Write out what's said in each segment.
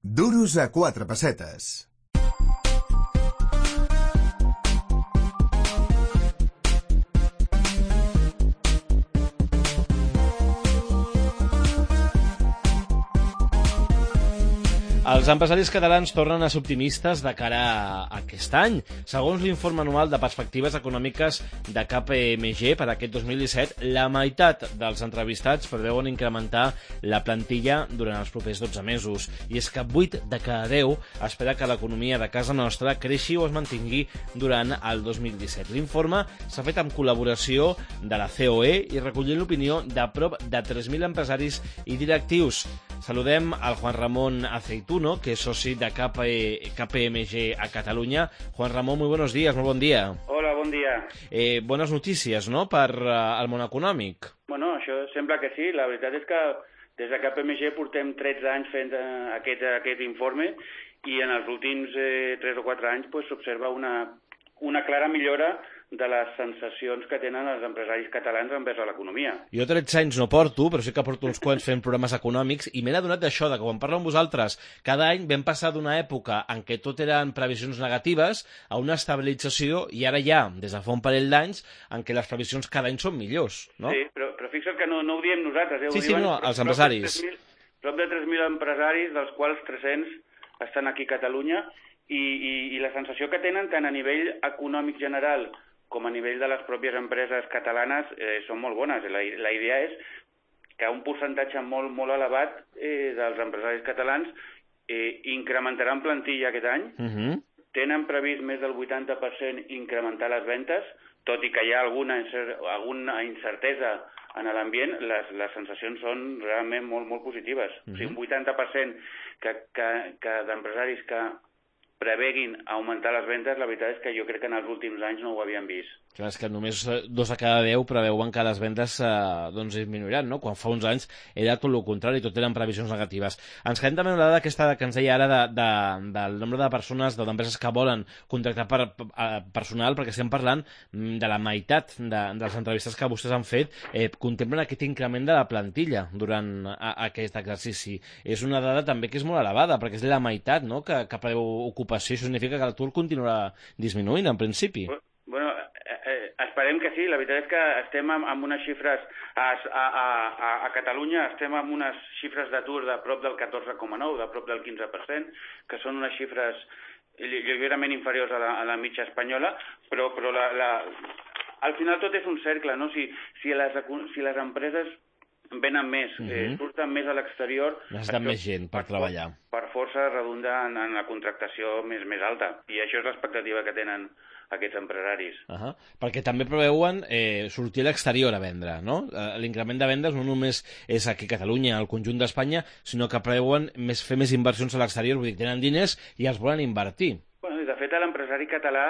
Duros a 4 pessetes. Els empresaris catalans tornen a ser optimistes de cara a aquest any. Segons l'informe anual de perspectives econòmiques de KPMG per aquest 2017, la meitat dels entrevistats preveuen incrementar la plantilla durant els propers 12 mesos. I és que 8 de cada 10 espera que l'economia de casa nostra creixi o es mantingui durant el 2017. L'informe s'ha fet amb col·laboració de la COE i recollint l'opinió de prop de 3.000 empresaris i directius. Saludem al Juan Ramón Aceituno, que es soci de KPMG a Catalunya. Juan Ramón, muy buenos días, muy buen día. Hola, bon dia. Bones notícies, no?, per al món econòmic. Bueno, això sembla que sí. La veritat és que des de KPMG portem 13 anys fent aquest informe i en els últims 3 o 4 anys s'observa una clara millora de les sensacions que tenen els empresaris catalans envers a l'economia. Jo 13 anys no porto, però sí que porto uns quants fent programes econòmics i m'he adonat d'això, que quan parlo amb vosaltres, cada any vam passar d'una època en què tot eren previsions negatives a una estabilització i ara ja, des de fa un parell d'anys, en què les previsions cada any són millors, no? Sí, però fixa't que no ho diem nosaltres. Sí, els empresaris. Prop de 3.000 empresaris, dels quals 300 estan aquí a Catalunya, i la sensació que tenen tant a nivell econòmic general com a nivell de les pròpies empreses catalanes són molt bones. La idea és que un percentatge molt elevat dels empresaris catalans incrementaran plantilla aquest any. Tenen previst més del 80% incrementar les ventes, tot i que hi ha alguna incertesa en l'ambient, les sensacions són realment molt positives. O sigui, un 80% que d'empresaris que preveguin augmentar les vendes, la veritat és que jo crec que en els últims anys no ho havien vist. Clar, és que només 2 de cada 10 preveuen que les vendes disminuiran, no? Quan fa uns anys era tot el contrari, tot eren previsions negatives. Ens quedem també amb la dada aquesta que ens deia ara del nombre de persones, d'empreses que volen contractar personal, perquè estem parlant de la meitat de les entrevistes que vostès han fet, contemplen aquest increment de la plantilla durant aquest exercici. És una dada també que és molt elevada, perquè és la meitat, no?, que preveu ocupació. Això significa que l'atur continuarà disminuint, en principi. Bueno, esperem que sí. La veritat és que estem amb unes xifres a Catalunya, estem amb unes xifres d'atur de prop del 14,9%, de prop del 15%, que són unes xifres lleugerament inferiors a la mitja espanyola, però al final tot és un cercle, no? Si les empreses venen més, surten més a l'exterior, necessiten més gent per treballar. Per força redunda en la contractació més alta, i això és l'expectativa que tenen aquests empresaris. Perquè també preveuen sortir a l'exterior a vendre, no? L'increment de vendes no només és aquí a Catalunya, al conjunt d'Espanya, sinó que preveuen fer més inversions a l'exterior, vull dir, tenen diners i els volen invertir. Bueno, de fet, l'empresari català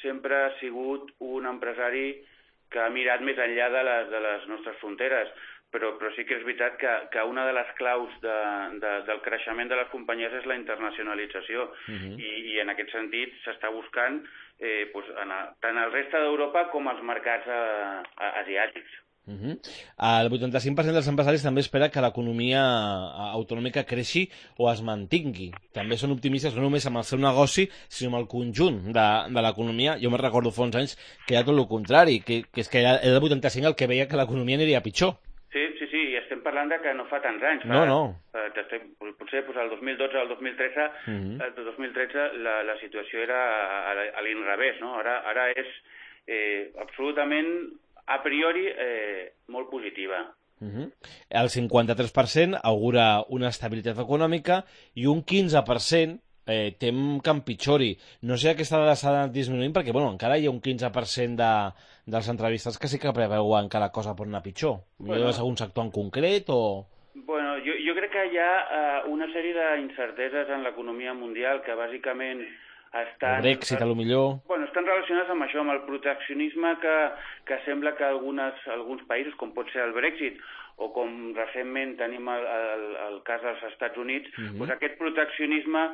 sempre ha sigut un empresari que ha mirat més enllà de les nostres fronteres, però sí que és veritat que una de les claus del creixement de les companyies és la internacionalització, i en aquest sentit s'està buscant tant al reste d'Europa com als mercats asiàtics. El 85% dels empresaris també espera que l'economia autonòmica creixi o es mantingui. També són optimistes no només amb el seu negoci, sinó amb el conjunt de l'economia. Jo me'n recordo fa uns anys que era tot el contrari, que és que era el 85 el que veia que l'economia aniria pitjor. Sí, i estem parlant de que no fa tants anys. Potser el 2012 al 2013, el 2013 la situació era a l'inrevés, no? Ara és absolutament a priori molt positiva. El 53% augura una estabilitat econòmica i un 15% tem que empitjori. No sé, aquesta dada s'ha anat disminuint perquè encara hi ha un 15% dels entrevistats que sí que preveuen que la cosa pot anar pitjor. Hi ha algun sector en concret o...? Bueno, jo crec que hi ha una sèrie d'incerteses en l'economia mundial que bàsicament estan... El Brexit, potser... Bueno, estan relacionades amb això, amb el proteccionisme que sembla que alguns països, com pot ser el Brexit, o com recentment tenim el cas dels Estats Units, aquest proteccionisme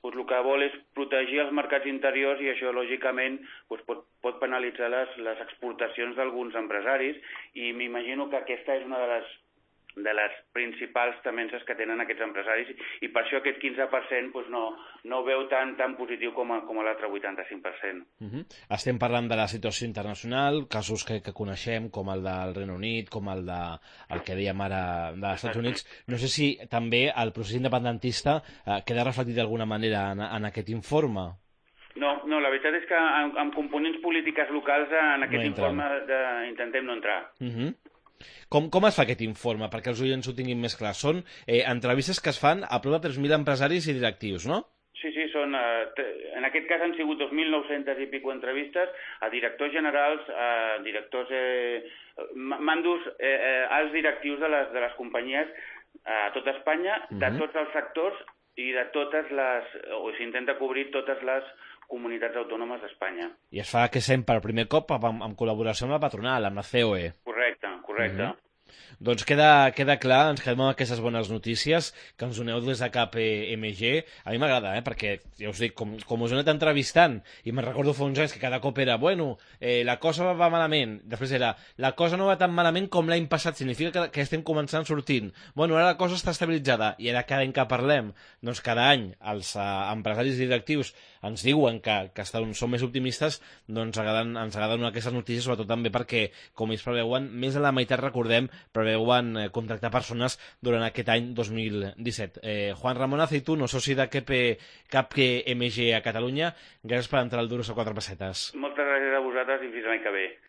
el que vol és protegir els mercats interiors, i això lògicament pot penalitzar les exportacions d'alguns empresaris, i m'imagino que aquesta és una de les principals temences que tenen aquests empresaris i per això aquest 15% doncs no ho veu tan positiu com l'altre 85%. Estem parlant de la situació internacional, casos que coneixem, com el del Regne Unit, com el que dèiem ara dels Estats Units. No sé si també el procés independentista queda reflectit d'alguna manera en aquest informe. No, la veritat és que amb components polítiques locals en aquest informe intentem no entrar. Com es fa aquest informe? Perquè els oients ho tinguin més clar. Són entrevistes que es fan a prop de 3.000 empresaris i directius, no? Sí, són, en aquest cas han sigut 2.900 i pico entrevistes a directors generals, a directors, mandos, alts directius de les companyies a tot Espanya, de tots els sectors i de totes les, o s'intenta cobrir totes les comunitats autònomes d'Espanya. I es fa que sempre per primer cop en col·laboració amb la patronal, amb la COE. Correcte. Doncs queda clar, ens quedem amb aquestes bones notícies que ens doneu des de KPMG. A mi m'agrada, perquè, ja us dic, com us he anat entrevistant, i me'n recordo fa uns anys que cada cop era, la cosa va malament, després era, la cosa no va tan malament com l'any passat, significa que estem començant sortint. Ara la cosa està estabilitzada, i ara cada any que parlem, doncs cada any els empresaris i directius ens diuen que són més optimistes, doncs ens agraden aquestes notícies, sobretot també perquè, com ells preveuen, més de la meitat, recordem, preveuen contractar persones durant aquest any 2017. Juan Ramón Aceituno, soci de KPMG a Catalunya, gràcies per entrar al Duros a 4 pessetes. Moltes gràcies a vosaltres i fins l'any que ve.